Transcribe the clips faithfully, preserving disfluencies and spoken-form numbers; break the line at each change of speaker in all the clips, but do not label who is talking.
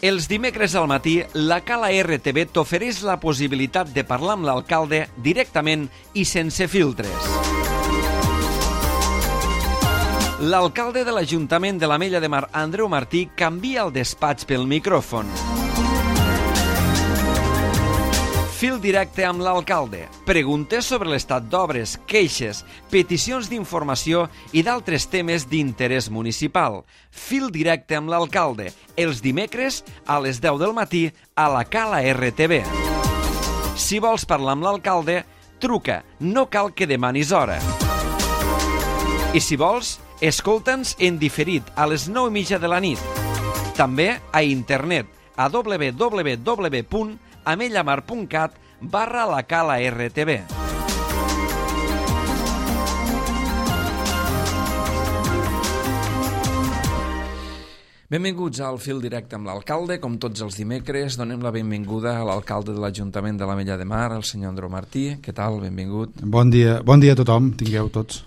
Els dimecres al matí, la Cala R T V t'ofereix la possibilitat de parlar amb l'alcalde directament i sense filtres. L'alcalde de l'Ajuntament de l'Ametlla de Mar, Andreu Martí, canvia el despatx pel micròfon. Fil directe amb l'alcalde. Preguntes sobre l'estat d'obres, queixes, peticions d'informació i d'altres temes d'interès municipal. Fil directe amb l'alcalde. Els dimecres a les deu del matí a la Cala R T V. Si vols parlar amb l'alcalde, truca. No cal que demanis hora. I si vols, escolta'ns en diferit a les nou i mitja de la nit. També a internet a w w w punt amellamar punt cat barra la Cala R T V. Benvinguts al Fil Directe amb l'alcalde. Com tots els dimecres, donem la benvinguda a l'alcalde de l'Ajuntament de l'Ametlla de Mar, el senyor Andreu Martí. Què tal? Benvingut.
Bon dia, bon dia a tothom, tingueu tots.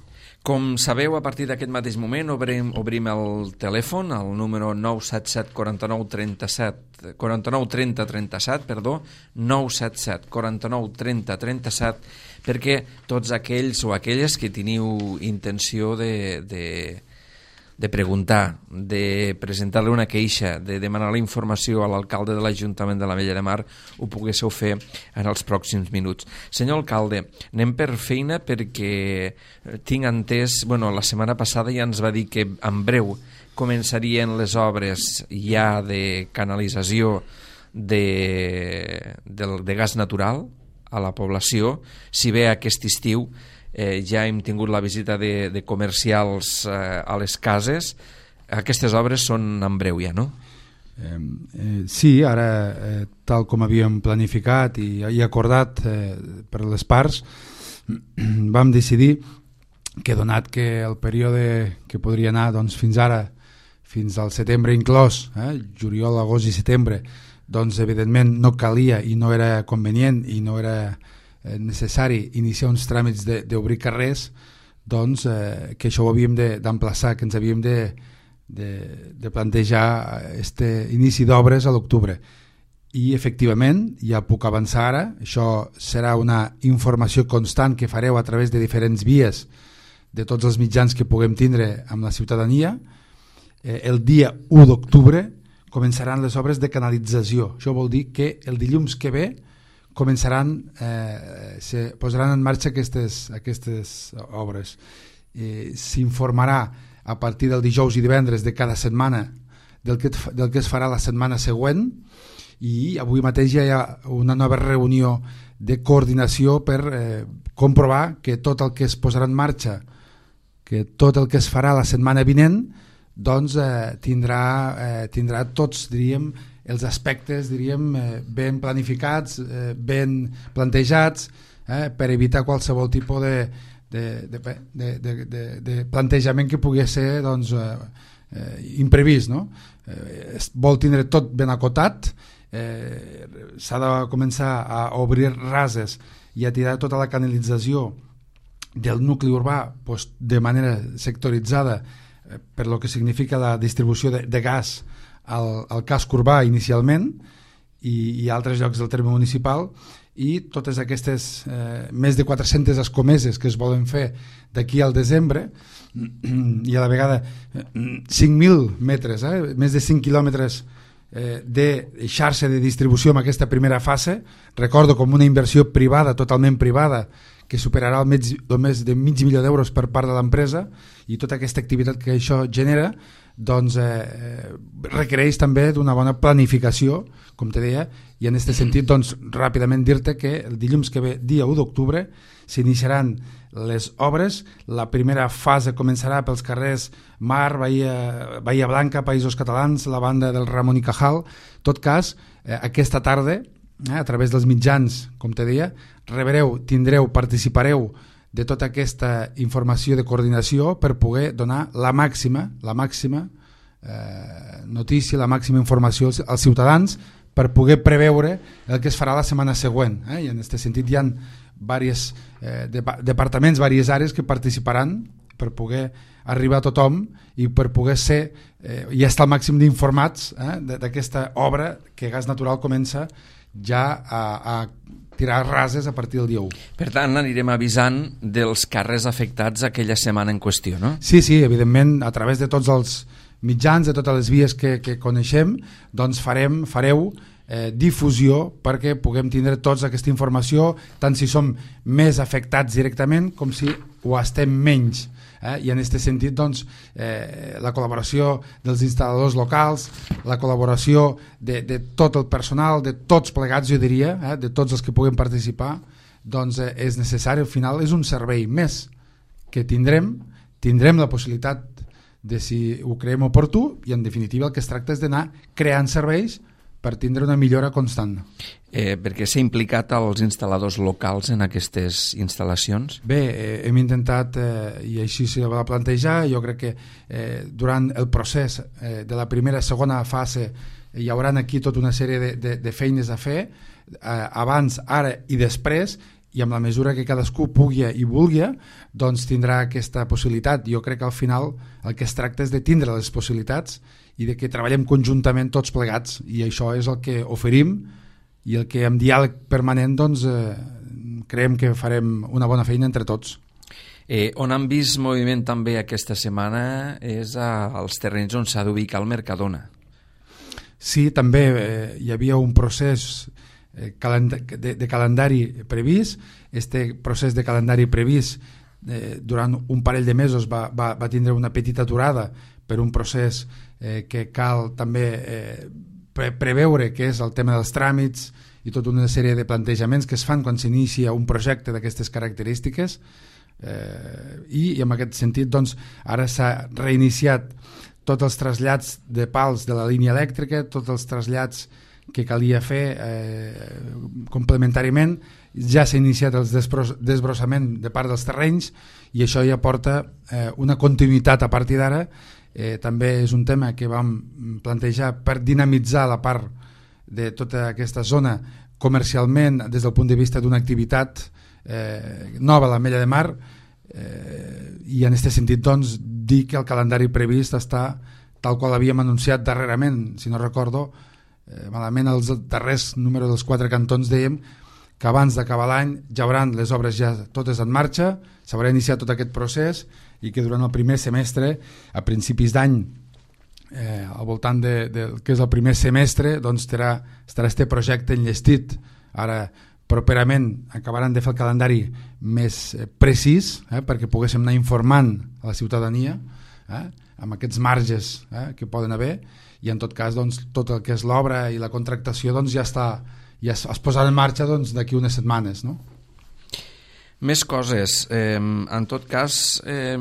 Com sabeu, a partir d'aquest mateix moment obrim, obrim el telèfon, el número nou set set quatre nou tres set, quatre nou trenta trenta-set, perdó, nou set set quatre nou trenta trenta-set, perquè tots aquells o aquelles que teniu intenció de, de, de preguntar, de presentar-li una queixa, de demanar la informació a l'alcalde de l'Ajuntament de l'Ametlla de Mar, ho poguéssiu fer en els pròxims minuts. Senyor alcalde, anem per feina perquè tinc entès, bueno, la setmana passada ja ens va dir que en breu començarien les obres ja de canalització de, de, de gas natural a la població, si bé aquest estiu Eh, ja hem tingut la visita de, de comercials eh, a les cases. Aquestes obres són en breu ja, no?
Eh, eh, sí, ara, eh, tal com havíem planificat i, i acordat eh, per les parts, vam decidir que, donat que el període que podria anar doncs, fins ara, fins al setembre inclòs, eh, juliol, agost i setembre, doncs evidentment no calia i no era convenient i no era necessari iniciar uns tràmits d'obrir carrers, doncs eh, que això ho havíem d'emplaçar, que ens havíem de, de, de plantejar este inici d'obres a l'octubre. I efectivament, ja puc avançar ara, això serà una informació constant que fareu a través de diferents vies de tots els mitjans que puguem tindre amb la ciutadania. Eh, el dia u d'octubre començaran les obres de canalització. Això vol dir que el dilluns que ve començaran, eh, se posaran en marxa aquestes, aquestes obres. Eh, s'informarà a partir del dijous i divendres de cada setmana del que, del que es farà la setmana següent, i avui mateix ja hi ha una nova reunió de coordinació per eh, comprovar que tot el que es posarà en marxa, que tot el que es farà la setmana vinent, doncs eh, tindrà, eh, tindrà tots, diríem, els aspectes, diríem, eh, ben planificats, eh, ben plantejats, eh, per evitar qualsevol tipus de, de, de, de, de, de, de plantejament que pugui ser doncs, eh, imprevist, no? Eh, es vol tindre tot ben acotat, eh, s'ha de començar a obrir rases i a tirar tota la canalització del nucli urbà doncs, de manera sectoritzada, eh, per lo que significa la distribució de, de gas al, al casc urbà inicialment i, i altres llocs del terme municipal, i totes aquestes eh, més de quatre-centes escomeses que es volen fer d'aquí al desembre, i a la vegada cinc mil metres, eh, més de cinc quilòmetres eh, de xarxa de distribució en aquesta primera fase. Recordo com una inversió privada, totalment privada, que superarà el, mig, el més de mig milió d'euros per part de l'empresa, i tota aquesta activitat que això genera doncs eh, requereix també d'una bona planificació, com te deia, i en aquest sentit doncs, ràpidament dir-te que el dilluns que ve, dia u d'octubre, s'iniciaran les obres. La primera fase començarà pels carrers Mar, Bahia, Bahia Blanca, Països Catalans, la banda del Ramon i Cajal. En tot cas, eh, aquesta tarda, eh, a través dels mitjans, com te deia, rebreu, tindreu, participareu de tota aquesta informació de coordinació per poder donar la màxima, la màxima eh, notícia, la màxima informació als, als ciutadans, per poder preveure el que es farà la setmana següent. Eh? I en aquest sentit hi ha diversos eh, de, departaments, diverses àrees que participaran per poder arribar a tothom i per poder ser eh, i estar al màxim d'informats eh, d'aquesta obra que Gas Natural comença ja a, a tirar rases a partir del dia u.
Per tant, anirem avisant dels carrers afectats aquella setmana en qüestió, no?
Sí, sí, evidentment, a través de tots els mitjans, de totes les vies que, que coneixem, doncs farem, fareu eh, difusió perquè puguem tindre tots aquesta informació, tant si som més afectats directament com si ho estem menys. Eh? I en aquest sentit, doncs, eh, la col·laboració dels instal·ladors locals, la col·laboració de, de tot el personal, de tots plegats, jo diria, eh, de tots els que puguem participar, doncs eh, és necessari. Al final és un servei més que tindrem, tindrem la possibilitat de si ho creiem oportú i en definitiva el que es tracta és d'anar creant serveis per tindre una millora constant.
Eh, perquè s'ha implicat els instal·ladors locals en aquestes instal·lacions?
Bé, eh, hem intentat, eh, i així s'hi va plantejar, jo crec que eh, durant el procés eh, de la primera i segona fase hi haurà aquí tota una sèrie de, de, de feines a fer, eh, abans, ara i després, i amb la mesura que cadascú pugui i vulgui, doncs tindrà aquesta possibilitat. Jo crec que al final el que es tracta és de tindre les possibilitats i de que treballem conjuntament tots plegats, i això és el que oferim i el que amb diàleg permanent doncs, eh, creiem que farem una bona feina entre tots.
Eh, on han vist moviment també aquesta setmana és a, als terrenys on s'ha d'ubicar el Mercadona.
Sí, també eh, hi havia un procés De, de calendari previst. Este procés de calendari previst eh, durant un parell de mesos va, va, va tindre una petita aturada per un procés eh, que cal també eh, pre preveure, que és el tema dels tràmits i tota una sèrie de plantejaments que es fan quan s'inicia un projecte d'aquestes característiques, eh, i, i en aquest sentit doncs, ara s'ha reiniciat tots els trasllats de pals de la línia elèctrica, tots els trasllats que calia fer eh, complementàriament. Ja s'ha iniciat el desbrossament de part dels terrenys i això ja porta eh, una continuïtat a partir d'ara. Eh, també és un tema que vam plantejar per dinamitzar la part de tota aquesta zona comercialment des del punt de vista d'una activitat eh, nova a l'Ametlla de Mar, eh, i en aquest sentit doncs, dir que el calendari previst està tal qual havíem anunciat darrerament. Si no recordo Eh, malament, els darrers números dels quatre cantons dèiem que abans d'acabar l'any ja hauran les obres ja totes en marxa, s'haurà iniciat tot aquest procés i que durant el primer semestre, a principis d'any, eh, al voltant de, de que és el primer semestre, doncs estarà, estarà este projecte enllestit. Ara properament acabaran de fer el calendari més eh, precís, eh, perquè poguéssim anar informant a la ciutadania eh, amb aquests marges eh, que poden haver, i en tot cas doncs, tot el que és l'obra i la contractació doncs, ja, està, ja es, es posarà en marxa doncs, d'aquí unes setmanes, no?
Més coses. Eh, en tot cas, eh,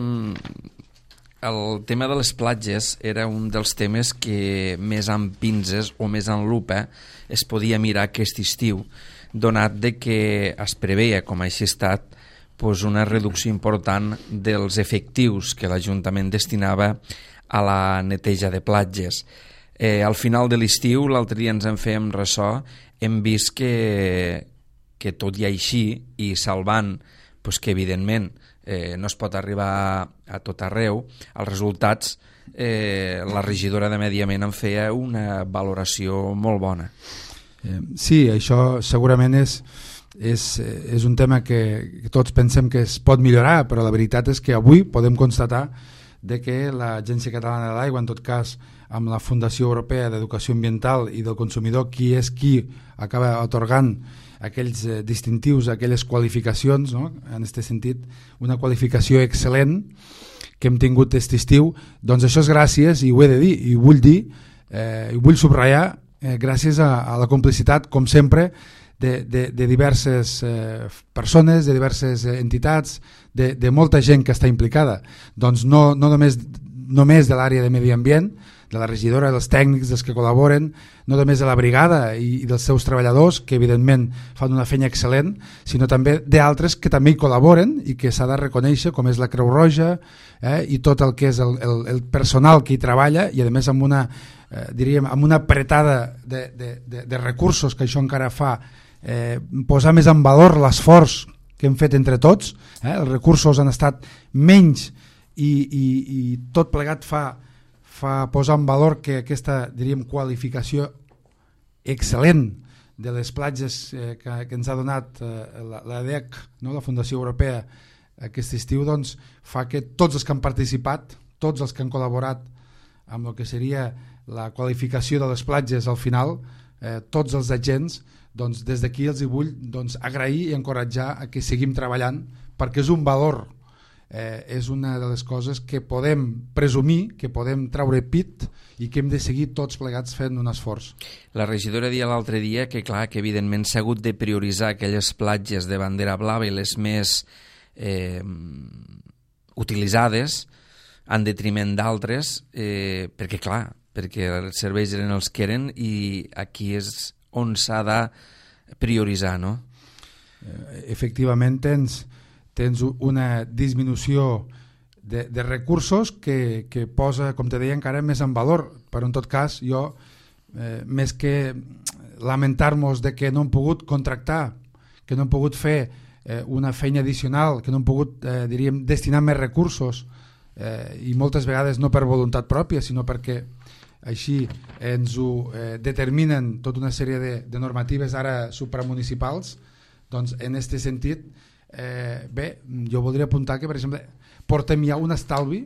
el tema de les platges era un dels temes que més amb pinces o més en lupa es podia mirar aquest estiu, donat de que es preveia, com així ha estat, pues una reducció important dels efectius que l'Ajuntament destinava a la neteja de platges. Eh, al final de l'estiu, l'altre dia ens en fèiem ressò, hem vist que, que tot i així, i salvant pues que evidentment eh, no es pot arribar a tot arreu, els resultats, eh, la regidora de Medi Ambient en feia una valoració molt bona.
Eh, sí, això segurament és, és, és un tema que tots pensem que es pot millorar, però la veritat és que avui podem constatar de que l'Agència Catalana de l'Aigua, en tot cas amb la Fundació Europea d'Educació Ambiental i del Consumidor, qui és qui acaba atorgant aquells eh, distintius, aquelles qualificacions, no? En aquest sentit, una qualificació excel·lent que hem tingut aquest estiu, doncs això és gràcies, i ho he de dir, i ho vull dir, eh, i vull subratllar, eh, gràcies a, a la complicitat, com sempre, de, de, de diverses eh, persones, de diverses eh, entitats, de, de molta gent que està implicada. Doncs no, no només, només de l'àrea de medi ambient, de la regidora, dels tècnics, dels que col·laboren, no només de la brigada i, i dels seus treballadors, que evidentment fan una feina excel·lent, sinó també d'altres que també hi col·laboren i que s'ha de reconèixer, com és la Creu Roja eh, i tot el que és el, el, el personal que hi treballa, i a més amb una, eh, diríem, amb una apretada de, de, de, de recursos, que això encara fa eh, posar més en valor l'esforç que hem fet entre tots. Eh, els recursos han estat menys i, i, i tot plegat fa, fa posar en valor que aquesta, diríem, qualificació excel·lent de les platges eh, que, que ens ha donat eh, la, la D E C, no? La Fundació Europea, aquest estiu, doncs, fa que tots els que han participat, tots els que han col·laborat amb el que seria la qualificació de les platges al final, eh, tots els agents, doncs, des d'aquí els hi vull doncs, agrair i encoratjar a que seguim treballant, perquè és un valor, eh, és una de les coses que podem presumir, que podem treure pit i que hem de seguir tots plegats fent un esforç.
La regidora deia l'altre dia que, clar, que evidentment s'ha hagut de prioritzar aquelles platges de bandera blava i les més eh, utilitzades en detriment d'altres, eh, perquè, clar, perquè els serveis eren els que eren i aquí és on s'ha de prioritzar, no?
Eh, efectivament, tens, tens una disminució de, de recursos que, que posa, com te deia, encara més en valor, però en tot cas jo, eh, més que lamentar-nos de que no hem pogut contractar, que no hem pogut fer eh, una feina addicional, que no hem pogut, eh, diríem, destinar més recursos, eh, i moltes vegades no per voluntat pròpia, sinó perquè així ens ho eh, determinen tota una sèrie de, de normatives ara supramunicipals, doncs en aquest sentit, eh, bé, jo voldria apuntar que, per exemple, portem ja un estalvi,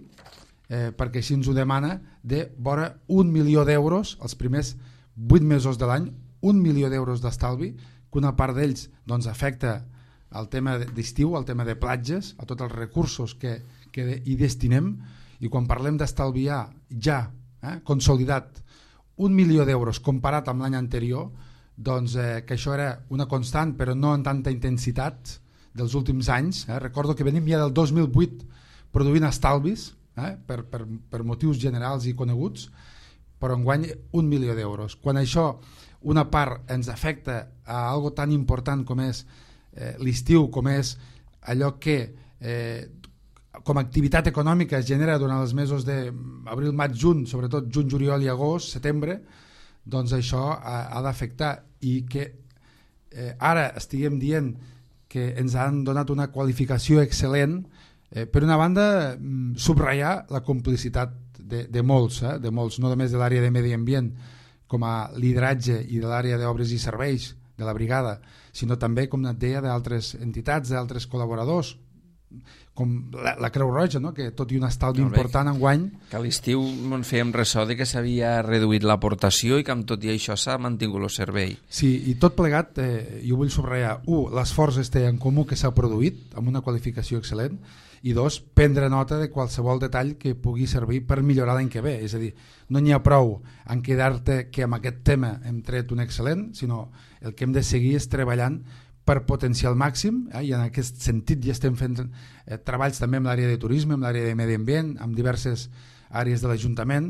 eh, perquè així ens ho demana, de vora un milió d'euros els primers vuit mesos de l'any, un milió d'euros d'estalvi, que una part d'ells doncs, afecta al tema d'estiu, al tema de platges, a tots els recursos que, que hi destinem, i quan parlem d'estalviar ja, eh, consolidat, un milió d'euros comparat amb l'any anterior, doncs eh, que això era una constant però no en tanta intensitat dels últims anys, eh? Recordo que venim ja del dos mil vuit produint estalvis, eh? per, per, per motius generals i coneguts, però enguany un milió d'euros. Quan això una part ens afecta a algo tan important com és eh, l'estiu, com és allò que eh, com a activitat econòmica es genera durant els mesos d'abril, maig, juny, sobretot juny, juliol i agost, setembre, doncs això ha, ha d'afectar, i que eh, ara estiguem dient que ens han donat una qualificació excel·lent, eh, per una banda subratllar la complicitat de, de molts, eh, de molts, no només de l'àrea de medi ambient com a lideratge i de l'àrea d'obres i serveis de la brigada, sinó també, com et deia, d'altres entitats, d'altres col·laboradors, com la, la Creu Roja, no? Que tot i un estalvi important enguany...
Que a l'estiu en fèiem ressò de que s'havia reduït l'aportació i que amb tot i això s'ha mantingut el servei.
Sí, i tot plegat, eh, jo vull subratllar, un, l'esforç este en comú que s'ha produït amb una qualificació excel·lent, i dos, prendre nota de qualsevol detall que pugui servir per millorar l'any que ve. És a dir, no n'hi ha prou en quedar-te que amb aquest tema hem tret un excel·lent, sinó el que hem de seguir és treballant per potenciar al màxim, eh, i en aquest sentit ja estem fent eh, treballs també amb l'àrea de turisme, amb l'àrea de medi ambient, amb diverses àrees de l'Ajuntament,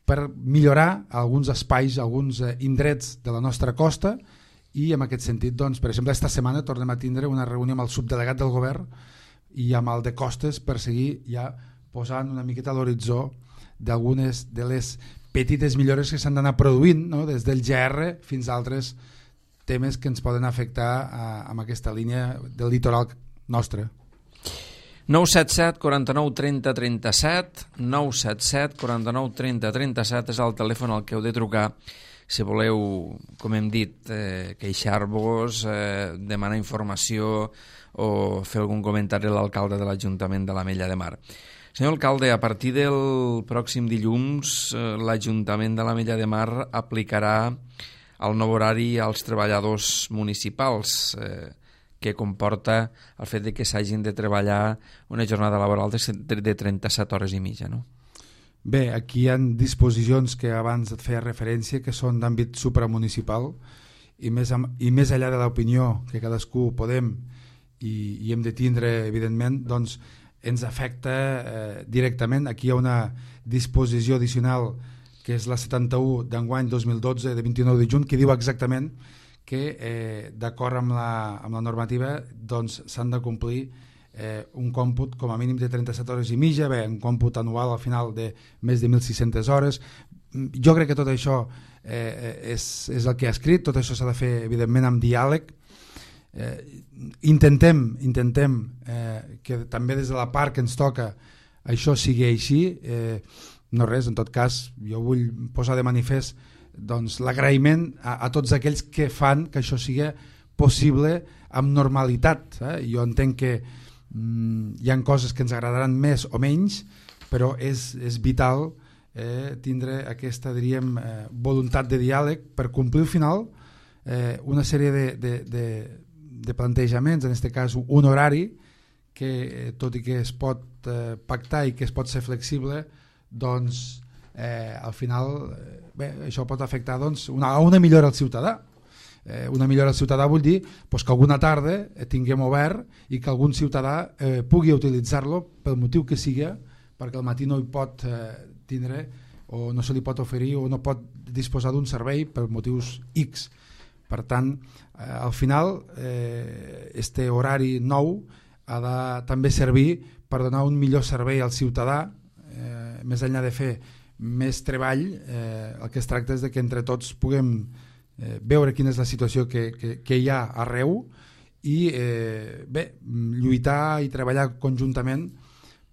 per millorar alguns espais, alguns eh, indrets de la nostra costa, i en aquest sentit, doncs, per exemple, esta setmana tornem a tindre una reunió amb el subdelegat del govern i amb el de costes per seguir ja posant una miqueta a l'horitzó d'algunes de les petites millores que s'han d'anar produint, no? Des del G R fins a altres temes que ens poden afectar a, amb aquesta línia del litoral nostre.
nou set set, quaranta-nou, trenta, trenta-set, nou set set, quaranta-nou, trenta, trenta-set és el telèfon al que heu de trucar si voleu, com hem dit, eh, queixar-vos, eh, demanar informació o fer algun comentari a l'alcalde de l'Ajuntament de l'Ametlla de Mar. Senyor alcalde, a partir del pròxim dilluns, eh, l'Ajuntament de l'Ametlla de Mar aplicarà el nou horari als treballadors municipals, eh, que comporta el fet de que s'hagin de treballar una jornada laboral de, de trenta-set hores i mitja, no?
Bé, aquí hi ha disposicions que abans et feia referència que són d'àmbit supramunicipal i més, i més enllà de l'opinió que cadascú podem i, i hem de tindre, evidentment, doncs ens afecta eh, directament. Aquí hi ha una disposició addicional que és la setanta-u d'enguany dos mil dotze de vint-i-nou de juny, que diu exactament que eh, d'acord amb la, amb la normativa doncs s'han de complir eh, un còmput com a mínim de trenta-set hores i mitja, bé, un còmput anual al final de més de mil sis-centes hores. Jo crec que tot això eh, és, és el que ha escrit, tot això s'ha de fer evidentment amb diàleg. Eh, intentem intentem eh, que també des de la part que ens toca això sigui així. Eh, no res, en tot cas jo vull posar de manifest doncs, l'agraïment a, a tots aquells que fan que això sigui possible amb normalitat. Eh? Jo entenc que mm, hi ha coses que ens agradaran més o menys, però és, és vital eh, tindre aquesta, diríem, eh, voluntat de diàleg per complir al final eh, una sèrie de, de, de, de plantejaments, en aquest cas un horari que eh, tot i que es pot eh, pactar i que es pot ser flexible, doncs eh, al final eh, bé, això pot afectar doncs, una, una millora al ciutadà. Eh, una millora al ciutadà vull dir pues, que alguna tarda eh, tinguem obert i que algun ciutadà eh, pugui utilitzar-lo pel motiu que sigui, perquè al matí no hi pot eh, tindre o no se li pot oferir o no pot disposar d'un servei per motius X. Per tant, eh, al final eh, este horari nou ha de també servir per donar un millor servei al ciutadà, eh, més enllà de fer més treball, eh, el que es tracta és de que entre tots puguem eh, veure quina és la situació que, que, que hi ha arreu i eh, bé, lluitar i treballar conjuntament,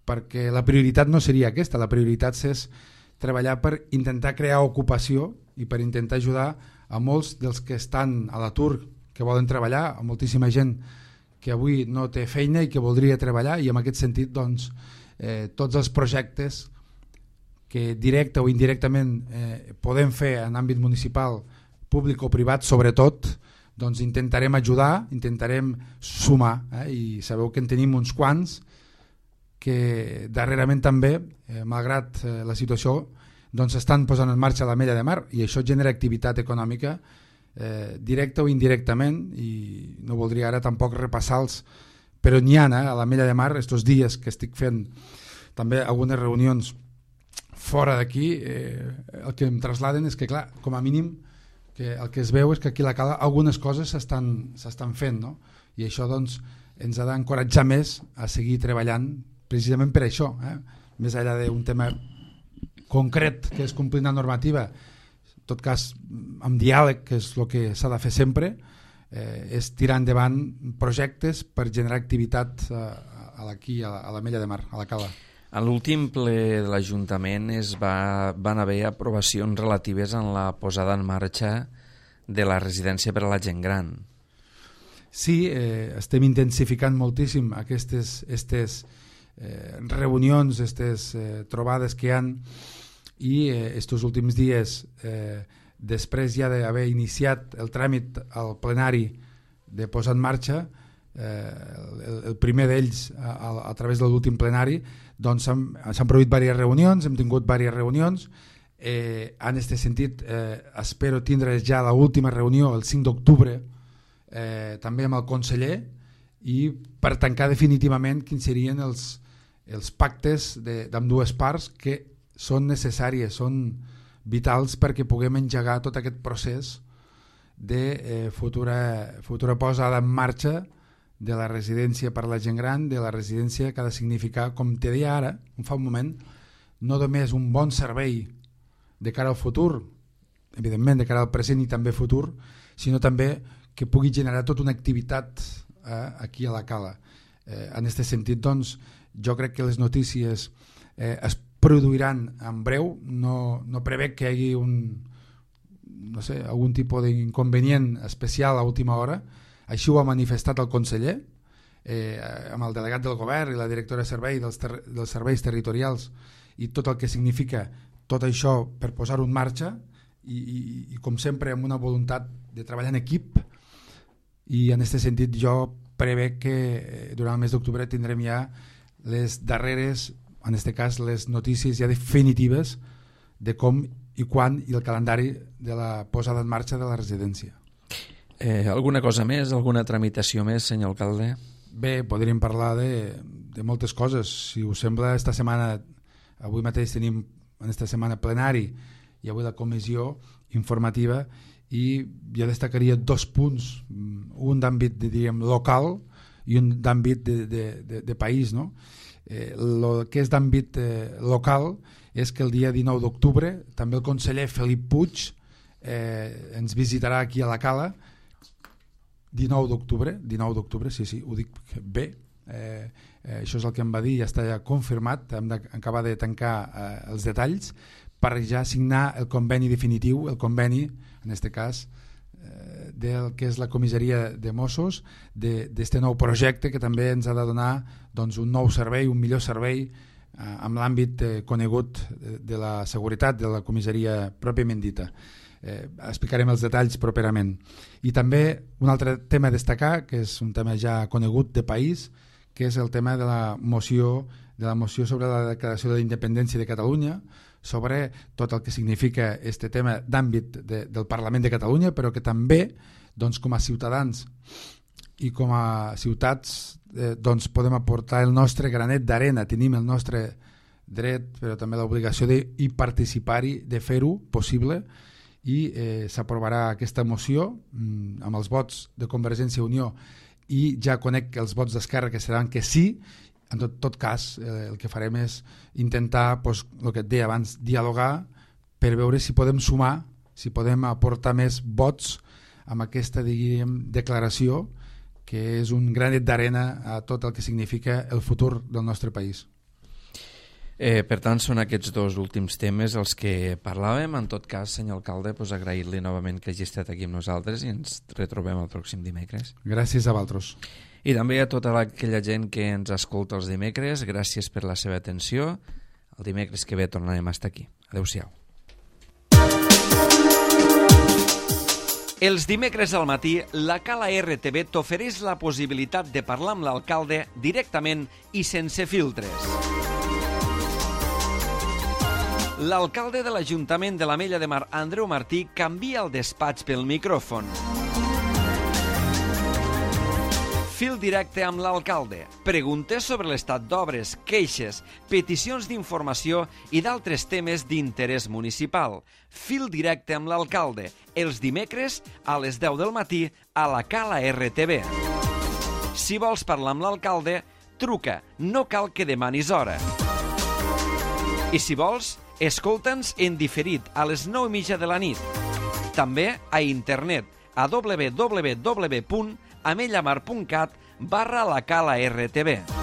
perquè la prioritat no seria aquesta, la prioritat és treballar per intentar crear ocupació i per intentar ajudar a molts dels que estan a l'atur, que volen treballar, a moltíssima gent que avui no té feina i que voldria treballar, i en aquest sentit doncs, eh, tots els projectes que directe o indirectament eh, podem fer en àmbit municipal, públic o privat, sobretot, doncs intentarem ajudar, intentarem sumar, eh, i sabeu que en tenim uns quants que darrerament també, eh, malgrat eh, la situació, doncs estan posant en marxa l'Ametlla de Mar, i això genera activitat econòmica eh, directa o indirectament, i no voldria ara tampoc repassar-los, però n'hi ha eh, a l'Ametlla de Mar estos dies que estic fent també algunes reunions fora d'aquí, eh, el que em trasladen és que clar, com a mínim que el que es veu és que aquí a la Cala algunes coses s'estan fent, no? I això doncs ens ha d'encoratjar més a seguir treballant precisament per això, eh? Més enllà d'un tema concret que és complir una normativa, en tot cas amb diàleg, que és el que s'ha de fer sempre, eh, és tirar endavant projectes per generar activitat eh, aquí a l'Ametlla de Mar, a la Cala.
A l'últim ple de l'Ajuntament es va, van haver aprovacions relatives en la posada en marxa de la residència per a la gent gran.
Sí, eh, estem intensificant moltíssim aquestes, aquestes eh, reunions, aquestes eh, trobades que hi ha, i aquests eh, últims dies, eh, després ja d'haver iniciat el tràmit al plenari de posar en marxa, eh, el, el primer d'ells a, a, a través de l'últim plenari, doncs s'han produït diverses reunions, hem tingut diverses reunions, eh, en aquest sentit eh, espero tindre ja l'última reunió el cinc d'octubre, eh, també amb el conseller, i per tancar definitivament quins serien els, els pactes d'ambdues parts que són necessàries, són vitals perquè puguem engegar tot aquest procés de eh, futura, futura posada en marxa de la residència per a la gent gran, de la residència que ha de significar, com te deia ara, fa un moment, no només un bon servei de cara al futur, evidentment de cara al present i també futur, sinó també que pugui generar tota una activitat eh, aquí a la Cala. Eh, en aquest sentit, doncs, jo crec que les notícies eh, es produiran en breu, no, no prevec que hi hagi un, no sé, algun tipus d'inconvenient especial a última hora. Així ho ha manifestat el conseller, eh, amb el delegat del govern i la directora de servei dels, ter dels serveis territorials, i tot el que significa tot això per posar-ho en marxa, i, i, i com sempre amb una voluntat de treballar en equip, i en aquest sentit jo prevec que durant el mes d'octubre tindrem ja les darreres, en aquest cas les notícies ja definitives de com i quan i el calendari de la posada en marxa de la residència.
Eh, alguna cosa més, alguna tramitació més, senyor alcalde?
Bé, podríem parlar de, de moltes coses. Si us sembla, esta setmana, avui mateix tenim en esta setmana plenari i avui la comissió informativa, i jo destacaria dos punts, un d'àmbit diríem local i un d'àmbit de, de, de, de país, no? Eh, el que és d'àmbit eh, local és que el dia dinou d'octubre també el conseller Felip Puig eh, ens visitarà aquí a la Cala. Dinou d'octubre, dinou d'octubre, sí, sí, ho dic bé, eh, eh, això és el que em va dir, ja està ja confirmat, hem d'acabar de tancar eh, els detalls per ja signar el conveni definitiu, el conveni, en aquest cas, eh, del que és la comissaria de Mossos, d'aquest nou projecte que també ens ha de donar doncs, un nou servei, un millor servei eh, amb l'àmbit eh, conegut de, de la seguretat de la comissaria pròpiament dita. Eh, explicarem els detalls properament. I també un altre tema a destacar, que és un tema ja conegut de país, que és el tema de la moció de la moció sobre la declaració de la independència de Catalunya, sobre tot el que significa este tema d'àmbit de, del Parlament de Catalunya, però que també doncs, com a ciutadans i com a ciutats eh, doncs, podem aportar el nostre granet d'arena, tenim el nostre dret però també l'obligació de participar-hi, de fer-ho possible, i eh, s'aprovarà aquesta moció mm, amb els vots de Convergència i Unió, i ja conec els vots d'Esquerra que seran que sí. En tot, tot cas, eh, el que farem és intentar, pues, el que et deia abans, dialogar per veure si podem sumar, si podem aportar més vots amb aquesta, diguem, declaració, que és un granet d'arena a tot el que significa el futur del nostre país.
Eh, per tant, són aquests dos últims temes els que parlàvem. En tot cas, senyor alcalde, pues, agrair-li novament que hagi estat aquí amb nosaltres i ens retrobem el pròxim dimecres.
Gràcies a vosaltres.
I també a tota aquella gent que ens escolta els dimecres, gràcies per la seva atenció. El dimecres que ve tornarem a estar aquí. Adéu-siau. Els dimecres al matí, la Cala R T V t'ofereix la possibilitat de parlar amb l'alcalde directament i sense filtres. L'alcalde de l'Ajuntament de l'Ametlla de Mar, Andreu Martí, canvia el despatx pel micròfon. Fil directe amb l'alcalde. Preguntes sobre l'estat d'obres, queixes, peticions d'informació i d'altres temes d'interès municipal. Fil directe amb l'alcalde. Els dimecres a les deu del matí a la Cala R T V. Si vols parlar amb l'alcalde, truca. No cal que demanis hora. I si vols, escolta'ns en diferit a les nou i mitja de la nit. També a internet a w w w punt amellamar punt cat barra la Cala R T V.